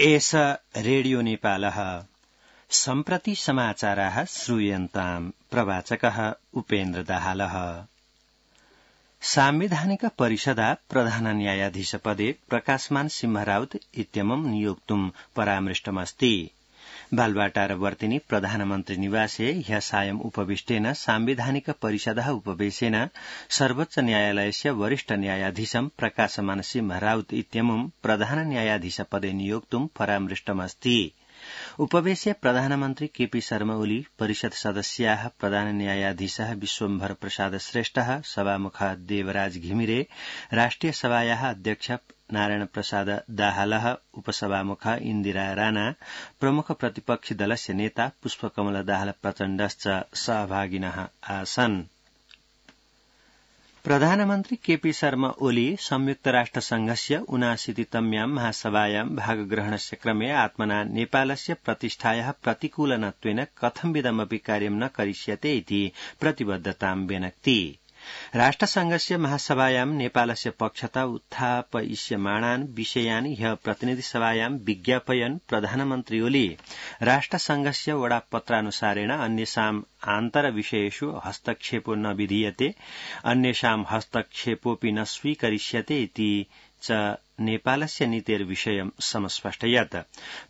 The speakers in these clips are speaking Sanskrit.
एष रेडियो नेपालः सम्प्रति समाचाराः श्रूयन्ताम् प्रवाचकः उपेन्द्र दाहालः। सांविधानिक परिषदा प्रधान न्यायाधीशपदे प्रकाशमान सिंहराउत इत्यमुं नियोक्तुं परामृष्टमस्ति। बालवाटारवर्तिनि प्रधानमन्त्री निवासे ह्यः सायं उपविष्टेन सांविधानिक परिषदः उपवेशेन सर्वोच्च न्यायालयस्य वरिष्ठ न्यायाधीशं प्रकाशमान सिंहराउत इत्यमुं प्रधान न्यायाधीशपदे नियोक्तुं परामृष्टमस्ति। उपवेशे प्रधानमन्त्री केपी शर्मा ओली, परिषद सदस्याः प्रधान न्यायाधीशः विश्वम्भर प्रसाद श्रेष्ठः, सभामुखः देवराज घिमिरे, राष्ट्रिय सभायाः अध्यक्ष नारायण प्रसाद दाहालः, उपसभामुखः इन्दिरा राणा, प्रमुख प्रतिपक्षी दलस्य नेता पुष्पकमल दाहाल प्रचण्डश्च सहभागिनः आसन्। प्रधानमन्त्री केपी शर्मा ओली संयुक्त राष्ट्र संघस्य 79तम्यां महासभायां भागग्रहणस्य क्रमे आत्मना नेपालस्य प्रतिष्ठायाः प्रतिकूलनत्वेन कथंविधमपि कार्यं न करिष्यते इति प्रतिबद्धतां व्यनक्ति। राष्ट्रसंघस्य महासभायां नेपालस्य पक्षतः उत्थापयिष्यमाणान् विषयान् ह्यः प्रतिनिधिसभायां विज्ञापयन् प्रधानमन्त्री ओली राष्ट्रसंघस्य वडापत्रानुसारेण अन्येषाम् आन्तरविषयेषु हस्तक्षेपो न विधीयते, अन्येषां हस्तक्षेपोऽपि न स्वीकरिष्यते इति च नेपालस्य नीतेर्विषयं समस्पष्टयत्।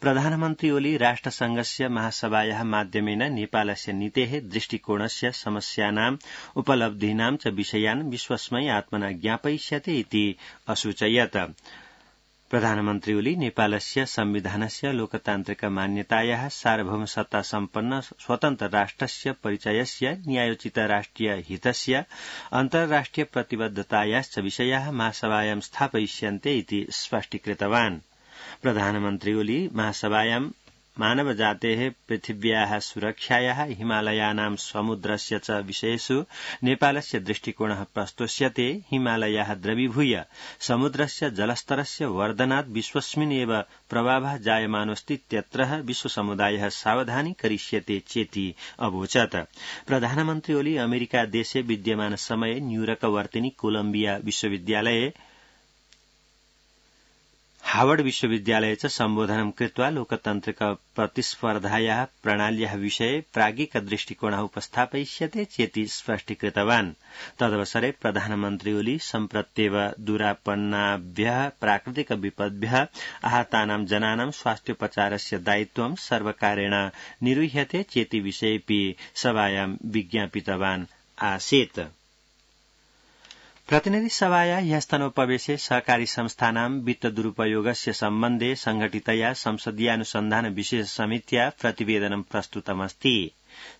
प्रधानमन्त्री ओली राष्ट्रसंघस्य महासभायाः माध्यमेन नेपालस्य नीतेः दृष्टिकोणस्य समस्यानाम् उपलब्धीनां च विषयान् विश्वस्मै आत्मना ज्ञापयिष्यते इति असूचयत्। प्रधानमन्त्री ओली नेपालस्य संविधानस्य लोकतान्त्रिक मान्यतायाः सार्वभौमसत्ता सम्पन्न स्वतन्त्र राष्ट्रस्य परिचयस्य न्यायोचित राष्ट्रिय हितस्य अन्तर्राष्ट्रिय प्रतिबद्धतायाश्च विषयाः महासभायां स्थापयिष्यन्ते इति स्पष्टीकृतवान्। प्रधानमन्त्री ओली महासभायां मानवजातेः पृथिव्याः सुरक्षायाः हिमालयानां समुद्रस्य च विषयेषु नेपालस्य दृष्टिकोणः प्रस्तोष्यते। हिमालयाः द्रवीभूय समुद्रस्य जलस्तरस्य वर्धनात् विश्वस्मिन् एव प्रभावः जायमानोऽस्तीत्यत्र विश्वसमुदायः सावधानी करिष्यते चेति अवोचत्। प्रधानमन्त्री ओली अमेरिका देशे विद्यमान समये न्यूयर्कवर्तिनि कोलम्बिया विश्वविद्यालये हावर्ड विश्वविद्यालये च सम्बोधनं कृत्वा लोकतान्त्रिक प्रतिस्पर्धायाः प्रणाल्याः विषये प्राज्ञिक दृष्टिकोणः उपस्थापयिष्यते चेति स्पष्टीकृतवान्। तदवसरे प्रधानमन्त्री ओली सम्प्रत्येव दुरापन्नाभ्यः प्राकृतिक विपद्भ्यः आहतानां जनानां स्वास्थ्योपचारस्य दायित्वं सर्वकारेण निर्वह्यते चेति विषयेऽपि सभायां विज्ञापितवान् आसीत्। प्रतिनिधिसभाया ह्यस्तनोपवेशे सहकारी संस्थानां वित्त दुरुपयोगस्य सम्बन्धे संघटितया संसदीयानुसन्धान विशेष समित्या प्रतिवेदनं प्रस्तुतमस्ति।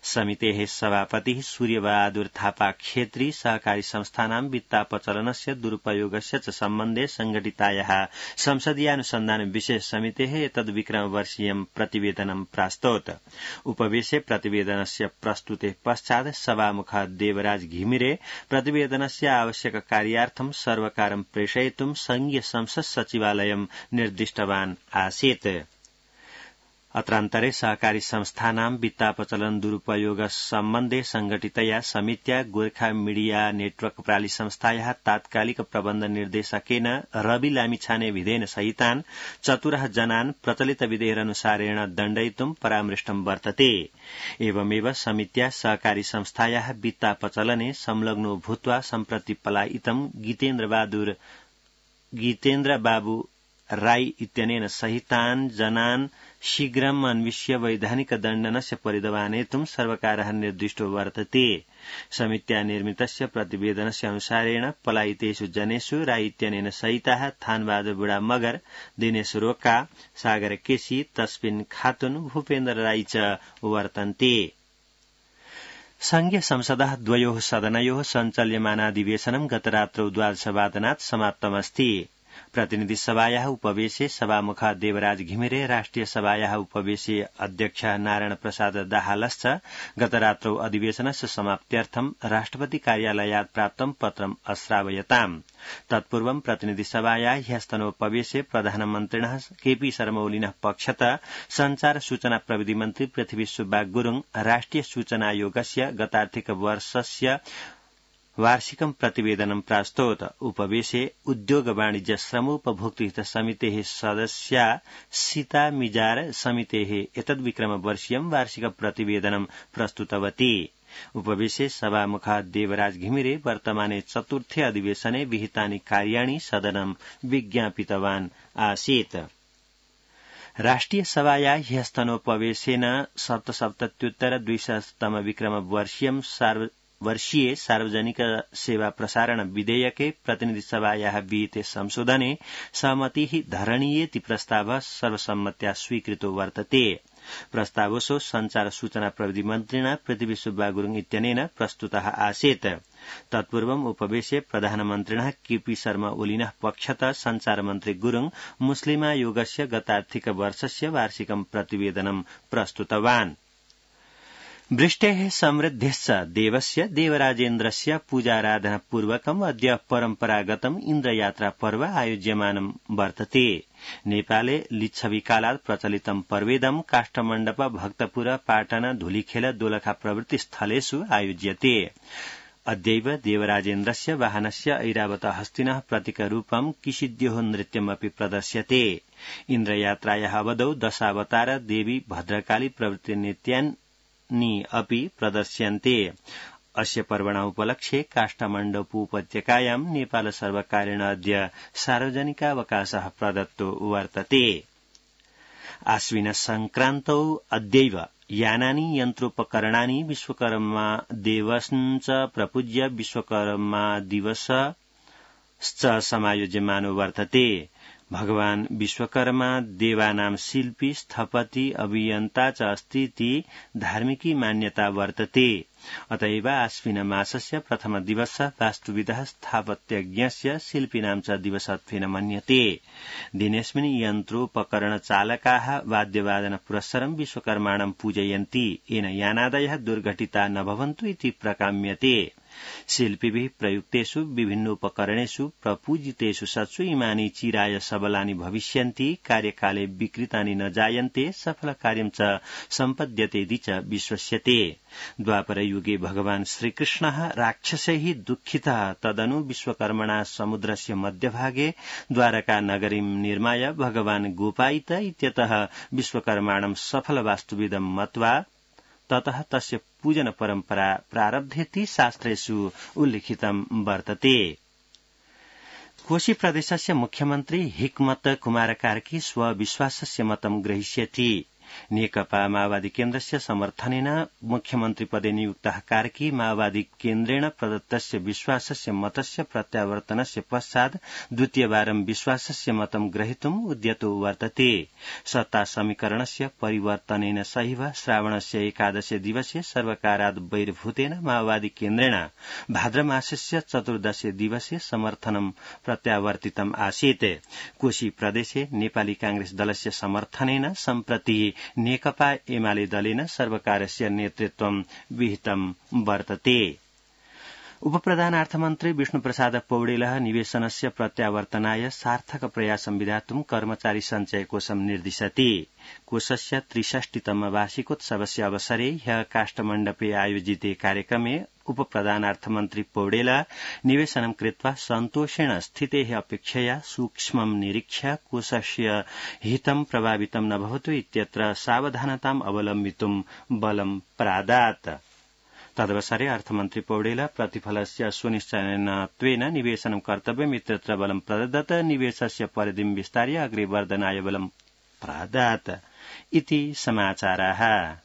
समितेः सभापतिः सूर्यबहादुर थापा खेत्री सहकारी संस्थानां वित्तापचलनस्य दुरुपयोगस्य च सम्बन्धे संघटितायाः संसदीयानुसन्धान विशेष समितेः एतद्विक्रमवर्षीयं प्रतिवेदनं प्रास्तौत्। उपवेशे प्रतिवेदनस्य प्रस्तुतेः पश्चात् सभामुखः देवराज घिमिरे प्रतिवेदनस्य आवश्यक कार्यार्थं सर्वकारं प्रेषयितुं संघीय संसद सचिवालयं निर्दिष्टवान् आसीत्। अत्रान्तरे सहकारी संस्थानां वित्तापचलन दुरुपयोग सम्बन्धे संघटितया समित्या गोर्खा मीडिया नेटवर्क प्राली संस्थायाः तात्कालिक प्रबन्ध निर्देशकेन रवि लामिछाने विधेन सहितान् 14 जनान् प्रचलित विधेयकनुसारेण दण्डयितुं परामृष्टं वर्तते। एवमेव समित्या सहकारी संस्थायाः वित्तापचलने संलग्नो भूत्वा सम्प्रति पलायितं गीतेन्द्र बाबू राई इत्यनेन सहितान् जनान् शीघ्रम् अन्विष्य वैधानिक दण्डनस्य परिदवानेतुं सर्वकारः निर्दिष्टो वर्तते। समित्या निर्मितस्य प्रतिवेदनस्य अनुसारेण पलायितेषु जनेषु राई इत्यनेन सहिताः थानबहादुर बुढा मगर, दिनेश रोका, सागर केसी, तस्बिन खातुन, भूपेन्द्र राई च वर्तन्ते। संघीय संसदः द्वयोः सदनयोः सञ्चाल्यमानाधिवेशनं गतरात्रौ 12:00 समाप्तमस्ति। प्रतिनिधिसभायाः उपवेशे सभामुखः देवराज घिमिरे, राष्ट्रिय सभायाः उपवेशे अध्यक्षः नारायण प्रसाद दाहालश्च गतरात्रौ अधिवेशनस्य समाप्त्यर्थं राष्ट्रपति कार्यालयात् प्राप्तं पत्रम् अश्रावयताम्। तत्पूर्वं प्रतिनिधिसभायाः ह्यस्तनोपवेशे प्रधानमन्त्रिणः केपी शर्मा ओलिनः पक्षतः संचार सूचना प्रविधि मन्त्री पृथ्वी सुब्बा गुरुङ राष्ट्रिय सूचना आयोगस्य गतार्थिक वर्षस्य वार्षिकं प्रतिवेदनं प्रास्तोत। उपवेशे उद्योग वाणिज्य श्रमोपभोक्तृहित समितेः सदस्या सीता मिजार समितेः एतद्विक्रमवर्षीयं वार्षिक प्रतिवेदनं प्रस्तुतवती। उपवेशे सभामुखः देवराज घिमिरे वर्तमाने चतुर्थे अधिवेशने विहितानि कार्याणि सदनं विज्ञापितवान् आसीत्। राष्ट्रिय सभाया ह्यस्तनोपवेशेन सप्तसप्तत्युत्तर 200तम विक्रमवर्षीये सार्वजनिक सेवा प्रसारण विधेयके प्रतिनिधि सभायाः विहिते संशोधने सहमतिः धरणीयेति प्रस्तावः सर्वसम्मत्या स्वीकृतो वर्तते। प्रस्तावोऽसौ संचार सूचना प्रविधि मन्त्रिणा पृथ्वी सुब्बा गुरुङ इत्यनेन प्रस्तुतः आसीत्। तत्पूर्वम् उपवेशे प्रधानमन्त्रिणः केपी शर्मा ओलिनः पक्षतः संचार मन्त्री गुरुङ मुस्लिमायोगस्य गतार्थिक वर्षस्य वार्षिकं प्रतिवेदनं प्रस्तुतवान्। वृष्टेः समृद्धिश्च देवस्य देवराजेन्द्रस्य पूजाराधनापूर्वकम् अद्य परम्परागतम् इन्द्रयात्रा पर्व आयोज्यमानं वर्तते। नेपाले लिच्छविकालात् प्रचलितं पर्वेदं काष्ठमण्डप भक्तपुर पाटन धुलीखेल दोलखा प्रभृति स्थलेषु आयोज्यते। अद्यैव देवराजेन्द्रस्य वाहनस्य ऐरावत हस्तिनः प्रतीकरूपं किशिद्योः नृत्यमपि प्रदर्श्यते। इन्द्रयात्रायाः अवधौ दशावतार देवी भद्रकाली प्रभृति नृत्यानि अपि प्रदर्श्यन्ते। अस्य पर्वणः उपलक्ष्ये काष्ठमण्डपोपत्यकायां नेपाल सर्वकारेण अद्य सार्वजनिकावकाशः प्रदत्तो वर्तते। आश्विन संक्रान्तौ अद्यैव यानानि यन्त्रोपकरणानि विश्वकर्मा दिवसञ्च प्रपूज्य विश्वकर्मा दिवसश्च समायोज्यमानो वर्तते। भगवान् विश्वकर्मा देवानां शिल्पी स्थपति अभियन्ता च अस्ति इति धार्मिकी मान्यता वर्तते। अतएव आश्विन मासस्य प्रथम दिवसः वास्तुविदः स्थापत्यज्ञस्य शिल्पिनां च दिवसत्वेन मन्यते। दिनेऽस्मिन् यन्त्रोपकरणचालकाः वाद्यवादन पुरस्सरं विश्वकर्माणं पूजयन्ति। येन यानादयः दुर्घटिता न भवन्तु इति प्रकाम्यते। शिल्पिभिः प्रयुक्तेषु विभिन्नोपकरणेषु प्रपूजितेषु सत्सु इमानि चिराय सबलानि भविष्यन्ति। कार्यकाले विकृतानि न जायन्ते। सफलकार्यं च सम्पद्यतेति च विश्वस्यते। द्वापरयुगे भगवान् श्रीकृष्णः राक्षसैः दुःखितः तदनु विश्वकर्मणा समुद्रस्य मध्यभागे द्वारका नगरीं निर्माय भगवान् गोपायित इत्यतः विश्वकर्माणं सफल वास्तुविदं मत्वा ततः तस्य पूजन परम्परा प्रारब्धेति शास्त्रेषु उल्लिखितं वर्तते। कोशी प्रदेशस्य मुख्यमन्त्री हिक्मत कुमार कार्की स्वविश्वासस्य मतं ग्रहीष्यति। नेकपा माओवादी केन्द्रस्य समर्थनेन मुख्यमन्त्री पदे नियुक्तः कार्की माओवादी केन्द्रेण प्रदत्तस्य विश्वासस्य मतस्य प्रत्यावर्तनस्य पश्चात् द्वितीयवारं विश्वासस्य मतं ग्रहीतुम् उद्यतो वर्तते। सत्ता समीकरणस्य परिवर्तनेन सहैव श्रावणस्य एकादशे दिवसे सर्वकारात् बहिर्भूतेन माओवादी केन्द्रेण भाद्रमासस्य चतुर्दशे दिवसे समर्थनं प्रत्यावर्तितम् आसीत्। कोशी प्रदेशे नेपाली कांग्रेस दलस्य समर्थनेन सम्प्रति नेकपा एमाले दलेन सर्वकारस्य नेतृत्वं विहितं वर्तते। उपप्रधानार्थमन्त्री विष्णुप्रसाद पौडेलः निवेशनस्य प्रत्यावर्तनाय सार्थक प्रयासं विधातुं कर्मचारी सञ्चय कोषं निर्दिशति। कोषस्य 63तम वार्षिकोत्सवस्य अवसरे ह्यः काष्ठमण्डपे आयोजिते कार्यक्रमे उपप्रधानार्थमन्त्री पौडेलः निवेशनं कृत्वा सन्तोषेण स्थितेः अपेक्षया सूक्ष्मं निरीक्ष्य कोषस्य हितं प्रभावितं न भवतु इत्यत्र सावधानताम् अवलम्बितुं बलं प्रादात्। तदवसरे अर्थमन्त्री पौडेलः प्रतिफलस्य सुनिश्चयत्वेन निवेशनं कर्तव्यम् इत्यत्र बलं प्रददत्। निवेशस्य परिधिं विस्तार्य अग्रे वर्धनाय बलं प्रादात् इति समाचाराः।